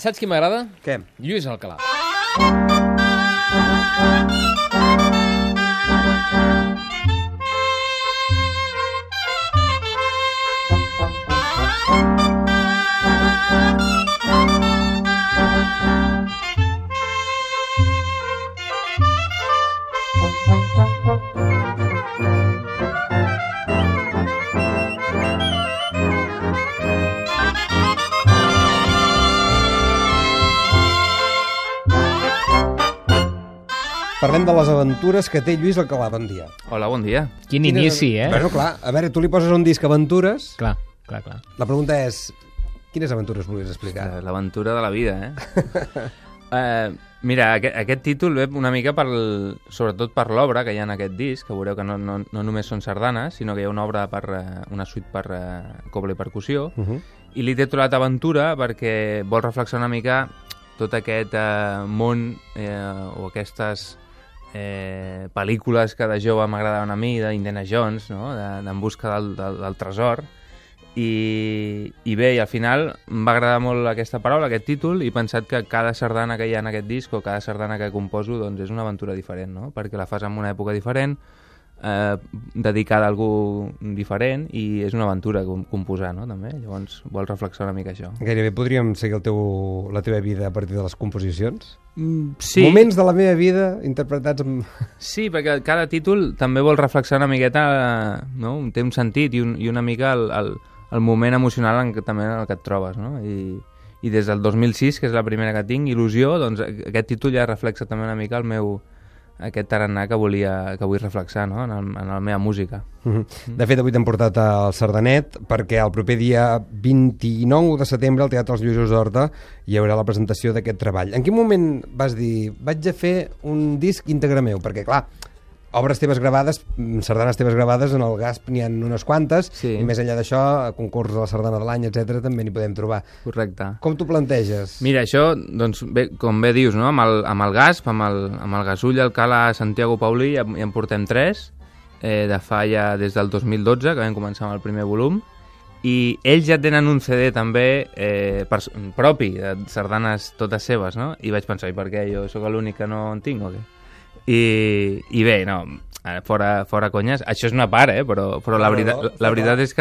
Saps qui m'agrada? Què? Lluís Alcalà. Parlem de les aventures que té Lluís Alcalà. Bon dia. Hola, bon dia. Quin inici, eh? Bueno, clar, a veure, tu li poses un disc aventures. Clar. La pregunta és, quines aventures volies explicar? L'aventura de la vida, Mira, aquest títol ve una mica sobretot per l'obra que hi ha en aquest disc, que veureu que no només són sardanes, sinó que hi ha una obra una suite per cobla i percussió, i li he titulat Aventura perquè vol reflexionar una mica tot aquest món o aquestes pel·lícules que de jove m'agradaven a mi, d'Indiana Jones, no? d'En busca del tresor. I bé, i al final em va agradar molt aquesta paraula, aquest títol, i he pensat que cada sardana que hi ha en aquest disc o cada sardana que composo doncs és una aventura diferent, no? Perquè la fas en una època diferent, dedicada a algú diferent, i és una aventura composar, no? També. Llavors vol reflexionar una mica això. Gairebé podríem seguir la teva vida a partir de les composicions? Sí. Moments de la meva vida interpretats amb... Sí, perquè cada títol també vol reflexionar una miqueta, no? Té un sentit i una mica el moment emocional també en el que et trobes, no? I des del 2006, que és la primera que tinc, Il·lusió, doncs aquest títol ja reflexa també una mica aquest tarannà que vull reflexar, no? en la meva música. De fet, avui t'hem portat al Sardanet perquè el proper dia 29 de setembre al Teatre Els Lluïsos d'Horta hi haurà la presentació d'aquest treball. En quin moment vas dir, vaig a fer un disc íntegre meu? Perquè, clar, obres teves gravades, sardanes teves gravades, en el GASP n'hi ha unes quantes, sí. I més enllà d'això, concurs de la sardana de l'any, etc també n'hi podem trobar. Correcte. Com t'ho planteges? Mira, això, doncs, bé, com bé dius, no? amb el GASP, amb el Gasull, Alcalà, Santiago Paulí, ja en portem 3, de fa ja des del 2012, que vam començar amb el primer volum, i ells ja tenen un CD també propi, de sardanes totes seves, no? I vaig pensar, i per què? Jo sóc l'únic que no en tinc, o què? I bé, no, fora conyes, això és una part, però la veritat és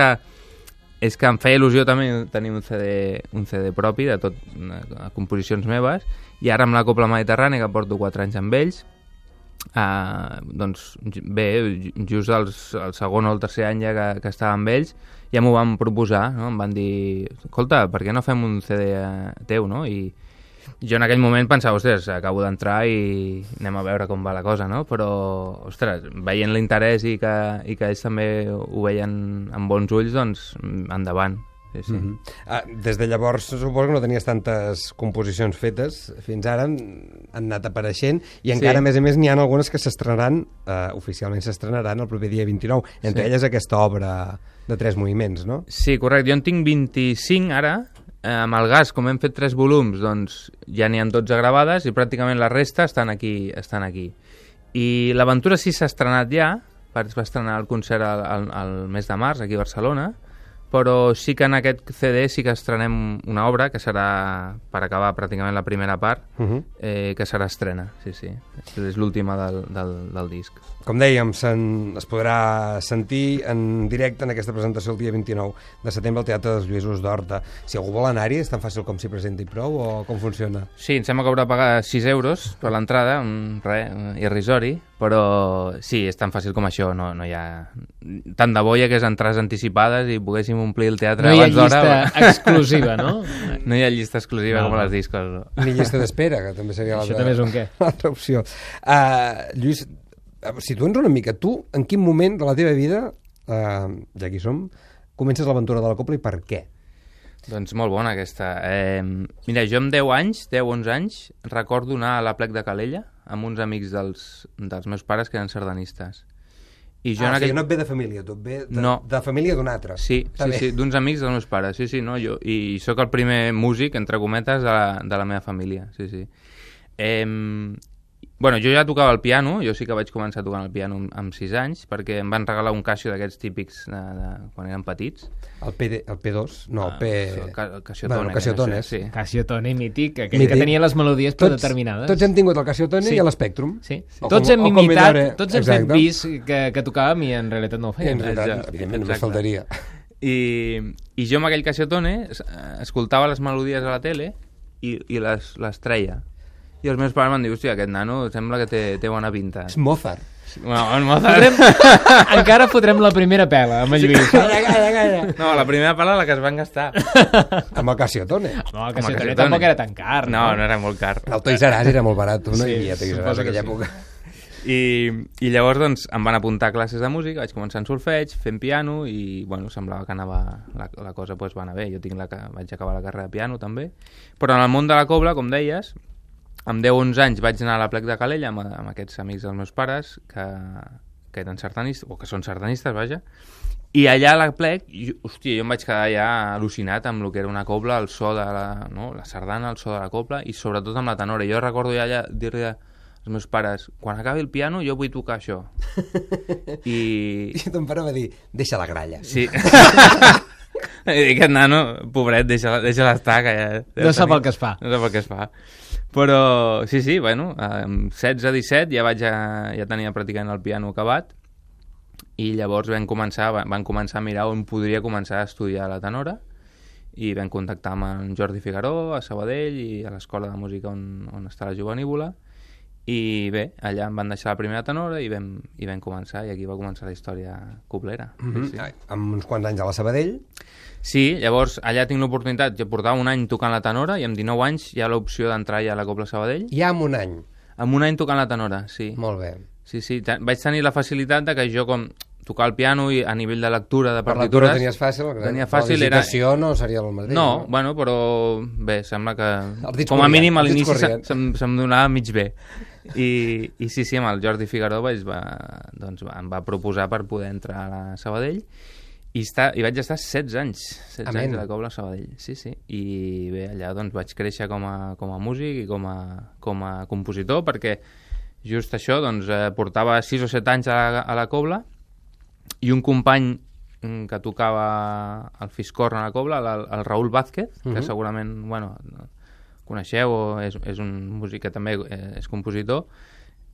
que em feia il·lusió també tenir un CD propi de tot, composicions meves, i ara amb la Cobla Mediterrània, que porto 4 anys amb ells, doncs bé, just el segon o el tercer any ja que estava amb ells, ja m'ho van proposar, no? Em van dir, escolta, per què no fem un CD teu, no? I jo en aquell moment pensava, ostres, acabo d'entrar i anem a veure com va la cosa, no? Però, ostres, veient l'interès i que ells també ho veien amb bons ulls, doncs endavant. Sí. Des de llavors suposo que no tenies tantes composicions fetes, fins ara han anat apareixent i encara a més n'hi ha algunes que s'estrenaran, oficialment s'estrenaran el proper dia 29, entre elles aquesta obra de 3 moviments, no? Sí, correcte, jo en tinc 25 ara. Amb el GAS, com hem fet 3 volums, doncs ja n'hi ha 12 gravades i pràcticament la resta estan aquí. I l'aventura sí s'ha estrenat ja, va estrenar el concert al mes de març aquí a Barcelona, però sí que en aquest CD sí que estrenem una obra que serà, per acabar pràcticament la primera part, que serà estrena, sí. És l'última del disc. Com dèiem, es podrà sentir en directe en aquesta presentació el dia 29 de setembre al Teatre dels Lluïsos d'Horta. Si algú vol anar-hi, és tan fàcil com s'hi presenti prou o com funciona? Sí, em sembla que haurà de pagar 6 euros per l'entrada, irrisori, però sí, és tan fàcil com això, no hi ha... Tant de bo hi hagués entrades anticipades i poguéssim omplir el teatre abans d'hora. No hi ha llista exclusiva, no? No hi ha llista exclusiva com a les discos. No. Ni llista d'espera, que també seria això també és un què? L'altra opció. Lluís, situa'ns una mica, tu en quin moment de la teva vida, ja aquí som, comences l'aventura de la cobla i per què? Doncs molt bona aquesta. Mira, jo amb 10-11 anys, recordo anar a la Plec de Calella amb uns amics dels meus pares que eren sardanistes. I jo o sigui, no et ve de família, tu et ve de família d'un altre. Sí, d'uns amics dels meus pares, no, jo, i sóc el primer músic, entre cometes, de la meva família, sí. Bueno, jo ja tocava el piano, jo sí que vaig començar tocant el piano amb 6 anys, perquè em van regalar un Casio d'aquests típics de quan eren petits. El P2? No, el P... El Casiotone. Bueno, Casiotone, sí. Casiotone mític, aquell que tenia les melodies predeterminades. Tots hem tingut el Casiotone i l'Spectrum. Sí. Tots hem imitat, tots hem fet vist que tocàvem i en realitat no ho fèiem. En realitat, evidentment, només faltaria. I jo amb aquell Casiotone escoltava les melodies a la tele i les treia. I els meus pares m'han dit, hòstia, aquest nano sembla que té bona pinta. És Mozart. Bueno, el Mozart... Encara fotrem la primera pela amb el Lluís. Calla. No, la primera pela la que es van gastar. Amb el Casiotone. No, el Casiotone tampoc era tan car. No era molt car. El Toys R Us era molt barat, no hi havia Toys R Us en aquella època. I llavors doncs, em van apuntar a classes de música, vaig començar en solfeig, fent piano i bueno, semblava que anava la cosa pues, va anar bé. Jo vaig acabar la carrera de piano també, però en el món de la cobla, com deies, amb 10-11 anys vaig anar a la Plec de Calella amb aquests amics dels meus pares que eren sardanistes, o que són sardanistes, vaja, i allà a la Plec, hòstia, jo em vaig quedar ja al·lucinat amb el que era una cobla, el so de la sardana, el so de la cobla i sobretot amb la tenora. Jo recordo ja allà dir-li els meus pares, quan acabi el piano jo vull tocar això. I ton pare va dir, deixa la gralla. Sí. Aquest nano, pobret, deixa-la estar, que ja... No sap el que es fa. No sap el que es fa. Però, sí, bueno, amb 16-17 ja tenia practicant el piano acabat i llavors van començar a mirar on podria començar a estudiar la tenora i vam contactar amb en Jordi Figaró a Sabadell i a l'escola de música on està la Jovenívola. I bé, allà em van deixar la primera tenora i vam començar, i aquí va començar la història coblera. Sí. Amb uns quants anys a la Sabadell? Sí, llavors allà tinc l'oportunitat, jo portava un any tocant la tenora i amb 19 anys hi ha l'opció d'entrar ja a la Cobla Sabadell. Ja amb un any? Amb un any tocant la tenora, sí. Molt bé. Sí, vaig tenir la facilitat de que jo com tocar el piano i a nivell de lectura de partitures... Per lectura tenies fàcil? Tenia fàcil, la digitació no seria el mateix? No, bueno, però bé, sembla que com a mínim a l'inici se'm donava mig bé. I sí, amb el Jordi Figaró em va proposar per poder entrar a la Sabadell i vaig estar 16 anys a la Cobla Sabadell, sí. I bé, allà doncs vaig créixer com a músic i com a compositor, perquè just això, doncs portava 6 o 7 anys a la Cobla i un company que tocava el fiscorn a la Cobla, el Raúl Vázquez, que segurament, bueno, coneixeu, o és un músic que també és compositor,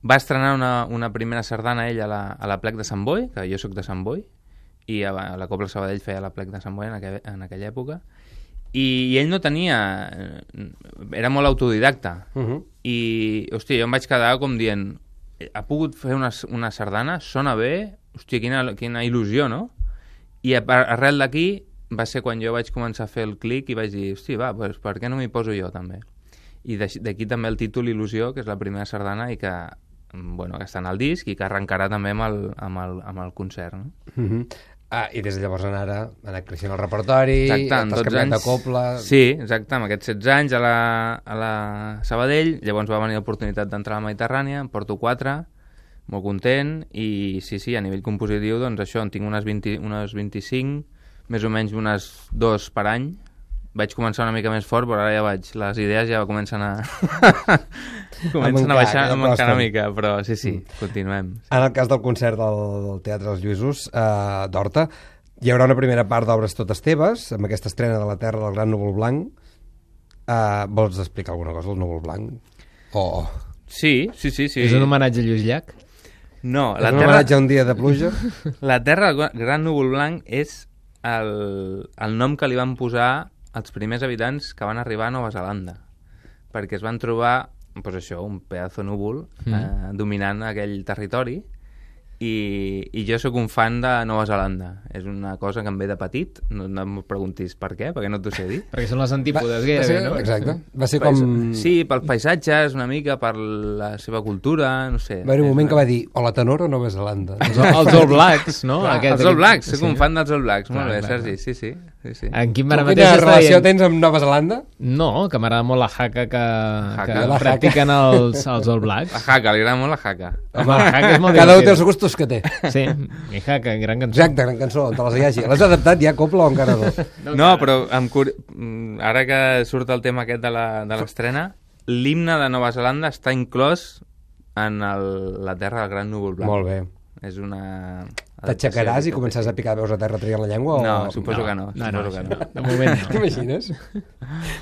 va estrenar una primera sardana ell a la Plec de Sant Boi, que jo sóc de Sant Boi, i a la Cobla Sabadell feia la Plec de Sant Boi en aquella època, i ell no tenia... era molt autodidacta, i, hòstia, jo em vaig quedar com dient, ha pogut fer una sardana, sona bé, hòstia, quina il·lusió, no? I arrel d'aquí va ser quan jo vaig començar a fer el clic i vaig dir, hosti, doncs per què no m'hi poso jo també? I d'aquí també el títol Il·lusió, que és la primera sardana i que, bueno, que està en el disc i que arrencarà també amb el concert, no? I des de llavors en ara ha anat creixent el repertori, t'has canviat de cobla... Sí, exacte, amb aquests 16 anys a la Sabadell, llavors va venir l'oportunitat d'entrar a la Mediterrània, en porto 4, molt content, i sí, a nivell compositiu, doncs això, en tinc unes 25, més o menys unes 2 per any. Vaig començar una mica més fort, però ara les idees ja comencen a baixar una mica, però sí, continuem. En el cas del concert del Teatre dels Lluïsos d'Horta, hi haurà una primera part d'obres totes teves, amb aquesta estrena de La terra del gran núvol blanc. Vols explicar alguna cosa del núvol blanc? Sí. És un homenatge a Lluís Llach? No, és un homenatge a un dia de pluja? La terra del gran núvol blanc és el nom que li van posar els primers habitants que van arribar a Nova Zelanda, perquè es van trobar, doncs això, un pedazo núvol dominant aquell territori, i jo sóc un fan de Nova Zelanda. És una cosa que em ve de petit, no em preguntis per què, perquè no t'ho sé dir. Perquè són les antípodes gairebé, no? Exacte. Va ser com... Sí, pels paisatges, una mica, per la seva cultura, no sé. Va haver un moment que va dir, o la tenora o Nova Zelanda. Els All Blacks, no? Els All Blacks, soc un fan dels All Blacks. Molt bé, Sergi, sí. En quin quina relació tens amb Nova Zelanda? No, que m'agrada molt la haka que practiquen els All Blacks. La haka, li agrada molt la haka. Home, la haka és molt cada un té els gustos que té. Sí, mi haka, gran cançó. Exacte, gran cançó, on te les hi hagi. L'has adaptat ja cobla o encara no? No, però ara que surt el tema aquest de l'estrena, l'himne de Nova Zelanda està inclòs en la terra del Gran Núvol Blanc. Molt bé. És una... T'aixecaràs i començaràs a picar veus a terra traient la llengua? No, suposo que no. No. De moment no. T'imagines?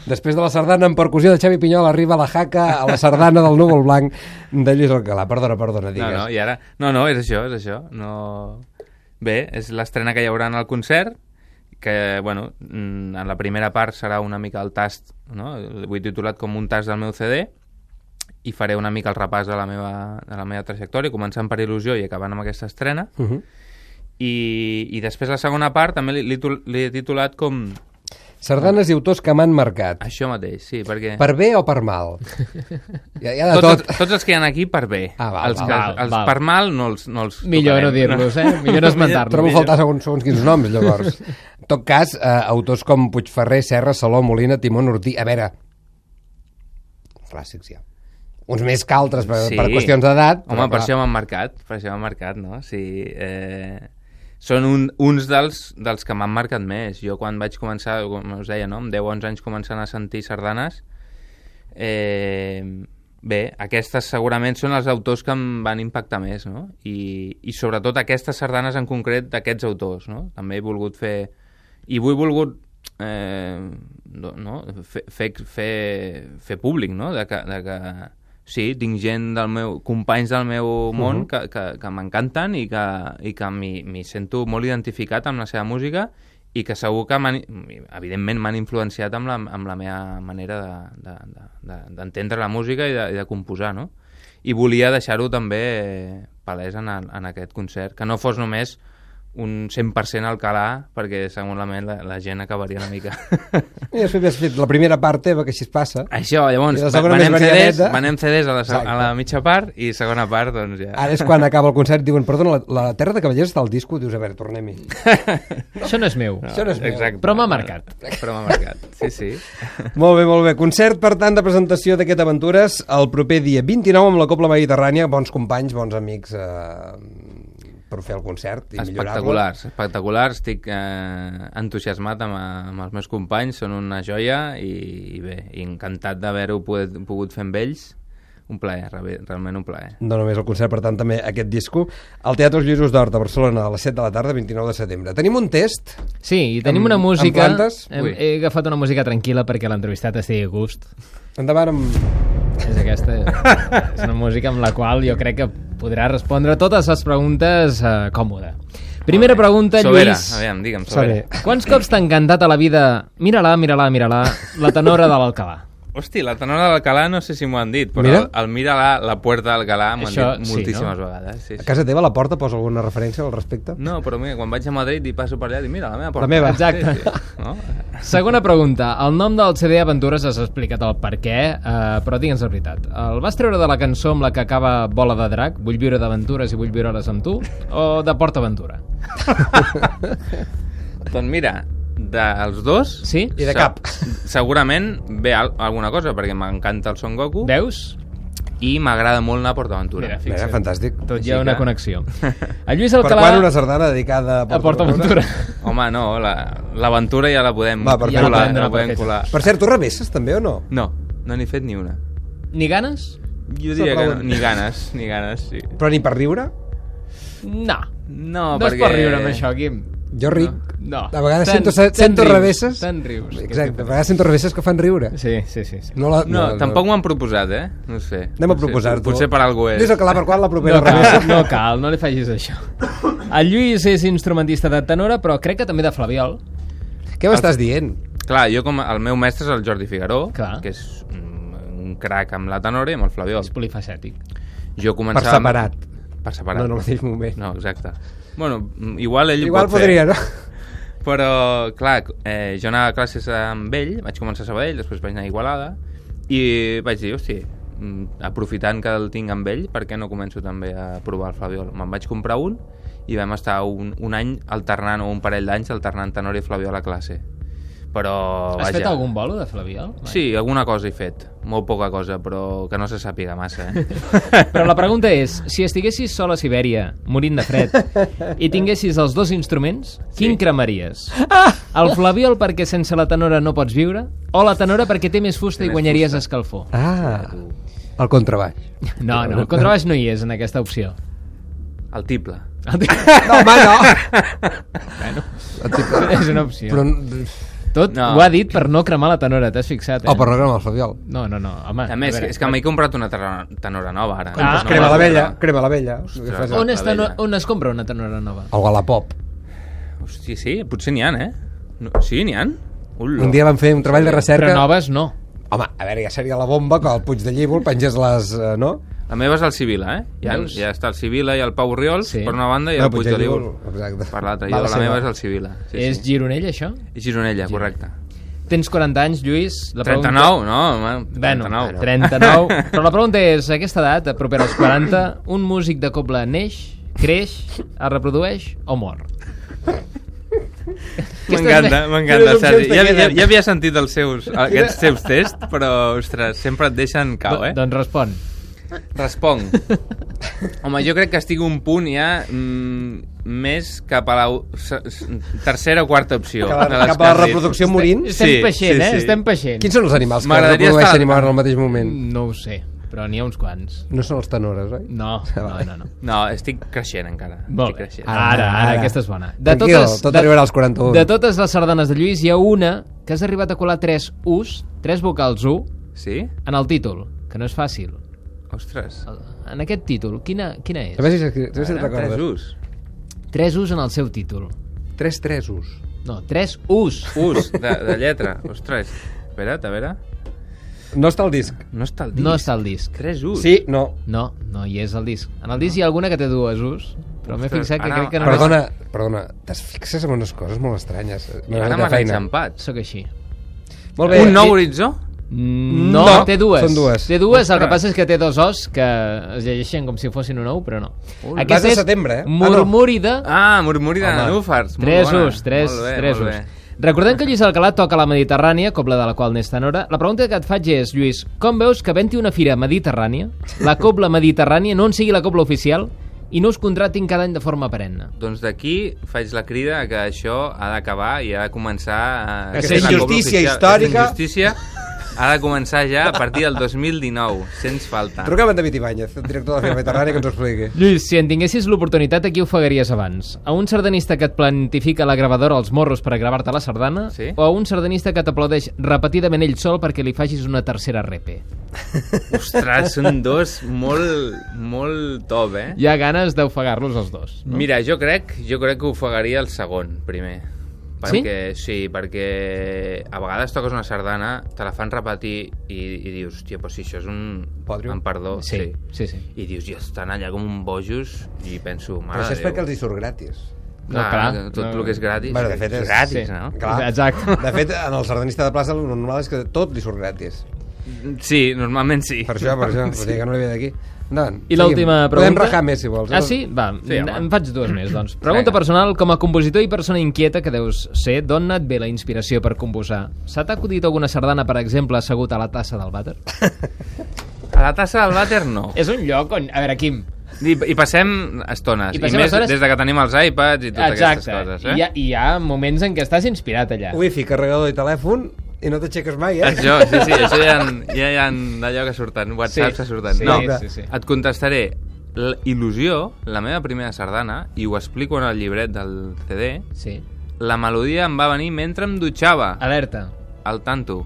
Després de la sardana en percussió de Xavi Pinyol arriba la jaca a la sardana del Núvol Blanc de Lluís Alcalà. Perdona, digues. No, i ara... No, és això. No... Bé, és l'estrena que hi haurà en el concert, que, bueno, en la primera part serà una mica el tast, no? Ho he titulat com un tast del meu CD, i faré una mica el repàs de la meva trajectòria, començant per Il·lusió i acabant amb aquesta estrena. I després la segona part també l'he titulat com... Sardanes i autors que m'han marcat. Això mateix, sí, perquè... Per bé o per mal? Hi ha de tot. Tots els que hi ha aquí per bé. Val. Per mal no els millor no dir-los, Millor no esmentar-los. Trobo faltar segons quins noms, llavors. En tot cas, autors com Puigferrer, Serra, Saló, Molina, Timón, Ortí... A veure... Clàssics, ja. Uns més que altres per qüestions d'edat. Home, per això m'han marcat, no? Sí, són uns dels que m'han marcat més. Jo quan vaig començar, com us deia, no? Amb 10-11 anys començant a sentir sardanes, bé, aquestes segurament són els autors que em van impactar més, no? I sobretot aquestes sardanes en concret d'aquests autors, no? També he volgut fer... I he volgut fer públic, no? De que sí, tinc gent companys del meu món que m'encanten i que m'hi sento molt identificat amb la seva música i que segur que evidentment m'han influenciat amb la meva manera d'entendre la música i de composar, no? I volia deixar-ho també palès en aquest concert, que no fos només un 100% Alcalà, perquè segurament la gent acabaria una mica. I després has fet la primera part teva, que així es passa. Això, llavors, venem CDs a la mitja part i segona part, doncs ja... Ara és quan acaba el concert, diuen, perdona, la Terra de Cavallers està al disco, dius, a veure, tornem-hi. Això no és meu. Exacte. Però m'ha marcat. Sí. Molt bé. Concert, per tant, de presentació d'aquest Aventures el proper dia 29 amb la Cobla Mediterrània, bons companys, bons amics... per fer el concert i millorar-lo. Espectaculars, estic entusiasmat amb els meus companys, són una joia i bé, encantat d'haver-ho pogut fer amb ells. Un plaer, realment un plaer. No només el concert, per tant, també aquest disco. Al Teatre Els Lluïsos d'Horta, a Barcelona, a les 7 de la tarda, 29 de setembre. Tenim un test. Sí, i tenim una música... Amb plantes? He agafat una música tranquil·la perquè l'entrevistat estigui a gust. Endavant amb... És aquesta. És una música amb la qual jo crec que podrà respondre totes les preguntes còmode. Primera pregunta, Sobera. Lluís. Aviam, digue'm, Sobera. Quants cops t'ha encantat a la vida mira-la, la tenora de l'Alcalà? Hosti, la tenora de l'Alcalà no sé si m'ho han dit, però el mira la puerta d'Alcalà m'ho han dit moltíssimes vegades. Sí. A casa teva la porta posa alguna referència al respecte? No, però mira, quan vaig a Madrid i passo per allà, dic, mira, la meva porta. La meva. Exacte. Sí. No? Segona pregunta. El nom del CD Aventures has explicat el per què, però digue'ns la veritat. El vas treure de la cançó amb la que acaba Bola de Drac, Vull viure d'aventures i vull viure-les amb tu, o de PortAventura? Doncs mira... dels dos sí? I de cap segurament ve alguna cosa perquè m'encanta el Son Goku. Veus? I m'agrada molt anar a PortAventura. Mira, fantàstic. Tot hi ha una connexió. El Lluís Alcalà... Per quan una sardana dedicada a PortAventura? Home, no, l'aventura ja la podem colar. Per cert, tu revesses també o no? No n'he fet ni una. Ni ganes? Jo diria que no, ni ganes, sí. Però ni per riure? No, perquè... és per riure amb això, Quim. Jo ric. No. A vegades sento revesses. Tant rius. Exacte, a vegades sento revesses que fan riure. Sí. No, tampoc m'ho han proposat, No sé. Anem a proposar-t'ho. Potser per algú és. Lluís Alcalà, per quan la propera revessa? No cal, no li facis això. El Lluís és instrumentista de tenora, però crec que també de flabiol. Què m'estàs dient? Clar, jo el meu mestre és el Jordi Figaró, que és un crac amb la tenora i amb el flabiol. És polifacètic. Jo començava... Per separat. No, en el mateix moment. No, exacte. Bueno, igual ell pot podria, no? Però, clar, jo anava a classes amb ell, vaig començar a Sabadell, després vaig anar a Igualada, i vaig dir, hosti, aprofitant que el tinc amb ell, per què no començo també a provar el flabiol? Me'n vaig comprar un, i vam estar un any alternant, o un parell d'anys alternant tenor i flabiol a classe. Però, Has fet algun bolo de flabiol? Sí, alguna cosa he fet. Molt poca cosa, però que no se sàpiga massa. Però la pregunta és, si estiguessis sol a Sibèria, morint de fred, i tinguessis els dos instruments, quin cremaries? El flabiol perquè sense la tenora no pots viure? O la tenora perquè té més fusta i guanyaries escalfor? El contrabaix. No, el contrabaix no hi és en aquesta opció. El tiple. No, home, no! Bueno, és una opció. Però... Tot No. ho ha dit per no cremar la tenora, t'has fixat, O per no cremar el flabiol. No, home. A més, és que m'he comprat una tenora nova, ara. Ah, No, Crema la no, vella, no. crema la vella. Ostres. On es compra una tenora nova? El Wallapop. Hòstia, sí, potser n'hi ha, No, sí, n'hi ha? Un dia van fer un treball de recerca... Però noves no. Home, a veure, ja seria la bomba que al Puig de Llívol pengés les... no? La meva és el Sibila, Ja està el Sibila i el Pau Oriols, Sí. per una banda, i el Puig de Llívol Exacte. per l'altra. Va, La meva és el Sibila. És Gironella, això? És Gironella, correcte. Tens 40 anys, Lluís. La 39, no, home, 39. 39. 39. Però la pregunta és, a aquesta edat, propera als 40, un músic de cobla neix, creix, es reprodueix o mor? M'encanta, Sergi. Ja havia sentit aquests seus tests, però, ostres, sempre et deixen cau, Doncs respon. Responc. Home, jo crec que estic un punt ja més cap a la tercera o quarta opció. Cap a la reproducció morint? Estem peixent, Estem peixent. Quins són els animals que M'agradaria reprodueixen i moren al mateix moment? No ho sé, però n'hi ha uns quants. No són els tenores, oi? No. No, estic creixent encara. Molt Estic bé. creixent. Ara, aquesta és bona. Tranquil, tot arribarà als 41. De totes les sardanes de Lluís, hi ha una que has arribat a colar 3 U's, 3 vocals U, Sí? en el títol, que no és fàcil. Ostres. En aquest títol, quina és? A veure si te'n recordes. 3 U's. 3 U's en el seu títol. 3 tresos. No, 3 U's. U's, de lletra. Ostres. Espera't, a veure. No està al disc. No està al disc. No està al disc. 3 U's. Sí, no. No hi és al disc. En el disc hi ha alguna que té 2 U's, però m'he Ostres, fixat que ara- crec que no Perdona, t'es fixes en unes coses molt estranyes. Ara m'has enxampat. Sóc així. Molt bé. Un nou horitzó? No, té dues. són dues. Té dues, el que Ostres. passa és que té 2 O's que es llegeixen com si fossin un ou, però no. Vas de setembre, Murmúrida. Murmuri de Home. nenúfars. 3 U's, 3 U's. Recordem que Lluís Alcalà toca la Mediterrània, cobla de la qual n'és tenora. La pregunta que et faig és, Lluís, com veus que havent-hi una fira mediterrània, la cobla mediterrània no en sigui la cobla oficial i no us contratin cada any de forma perenne? Doncs d'aquí faig la crida que això ha d'acabar i ha de començar Aquesta ser la cobla injustícia oficial. històrica. Aquesta injustícia ha de començar ja a partir del 2019, sens falta. Truca'm a en David Ibáñez, el director de la Fira Mediterrània, que ens ho expliqui. Lluís, si en tinguessis l'oportunitat, a qui ofegaries abans? A un sardanista que et plantifica la gravadora als morros per a gravar-te la sardana? Sí. O a un sardanista que t'aplaudeix repetidament ell sol perquè li facis una tercera repe? Ostres, són dos molt top, Hi ha ganes d'ofegar-los els dos. No? Mira, jo crec que ofegaria el segon, primer. Perquè a vegades toques una sardana, te la fan repetir i dius, hòstia, però si això és un... Podrio. Amb perdó, Sí. I dius, i estan allà com un bojos i penso, Però mare això és de Déu. perquè els hi surt gratis. Clar, tot el que és gratis, Bueno, de fet és- gratis, sí. no? Clar. Exacte. De fet, en el sardanista de plaça el normal és que tot li surt gratis. Sí, normalment sí. Per això. Vull dir que no li ve d'aquí. Endavant, I l'última seguim. pregunta... Podem rajar més, si vols. Ah, sí? Va, Sí, home. em faig dues més, doncs. Pregunta Vinga. personal, com a compositor i persona inquieta que deus ser, d'on et ve la inspiració per composar? Se t'ha acudit alguna sardana, per exemple, assegut a la tassa del vàter? A la tassa del vàter, no. És un lloc on... A veure, Quim... I passem estones. I passem més estones- des de que tenim els iPads i totes aquestes coses. Hi ha moments en què estàs inspirat allà. Wifi, carregador i telèfon, i no t'aixeques mai, Això ja hi ha d'allò que surten, WhatsApp que surten. Sí, No, sí. et contestaré. Il·lusió, la meva primera sardana, i ho explico en el llibret del CD, Sí. la melodia em va venir mentre em dutxava, Alerta. al tanto,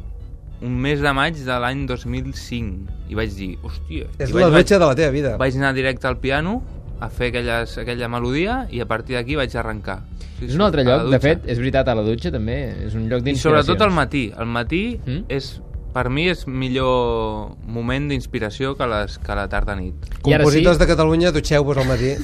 un mes de maig de l'any 2005. I vaig dir, hòstia... És I la dutxa de la teva vida. Vaig anar directe al piano a fer aquella melodia i a partir d'aquí vaig arrencar. Sí, És un altre a la lloc, de dutxa. fet, és veritat, a la dutxa també és un lloc I d'inspiració. sobretot al matí. Al matí Mm? per mi és millor moment d'inspiració que la tarda-nit. I ara Compositors sí? de Catalunya, dutxeu-vos al matí.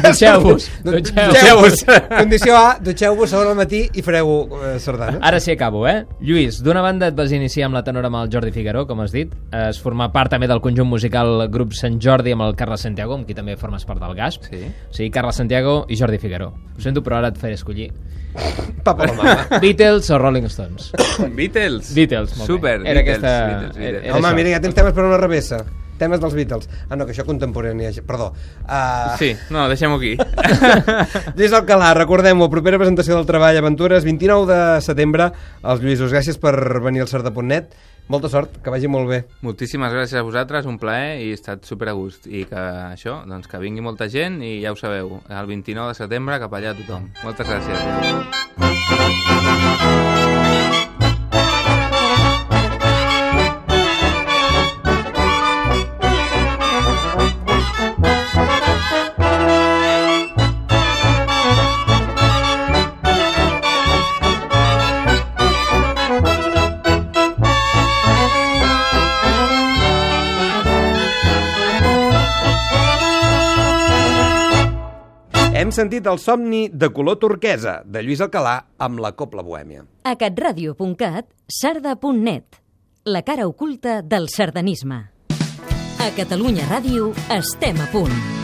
Dutxeu-vos. Dutxeu-vos. Condició A, dutxeu-vos segon al matí i fareu sardana. Ara sí acabo, Lluís, d'una banda et vas iniciar amb la tenora amb el Jordi Figueró, com has dit. Has format part també del conjunt musical Grup Sant Jordi amb el Carles Santiago, amb qui també formes part del GASP. Sí. O sigui, Carles Santiago i Jordi Figueró. Ho sento, però ara et faré escollir. Papa la mama. Beatles o Rolling Stones? Beatles. Beatles, molt bé. Super, Era Beatles, aquesta- Beatles. era Home, això. mira, ja tens temes per una revessa. Temes dels Beatles. Ah, no, que això contemporani. Perdó. Sí, no, deixem-ho aquí. Lluís Alcalà, recordem-ho, propera presentació del Treball Aventures, 29 de setembre. Els Lluïsos, gràcies per venir al Sarda.net. Molta sort, que vagi molt bé. Moltíssimes gràcies a vosaltres, un plaer i he estat super a gust. I que això, doncs que vingui molta gent i ja ho sabeu, el 29 de setembre cap allà tothom. Moltes gràcies. Hem sentit el somni de color turquesa, de Lluís Alcalà, amb la Cobla Bohèmia. A catradio.cat, sarda.net, la cara oculta del sardanisme. A Catalunya Ràdio estem a punt.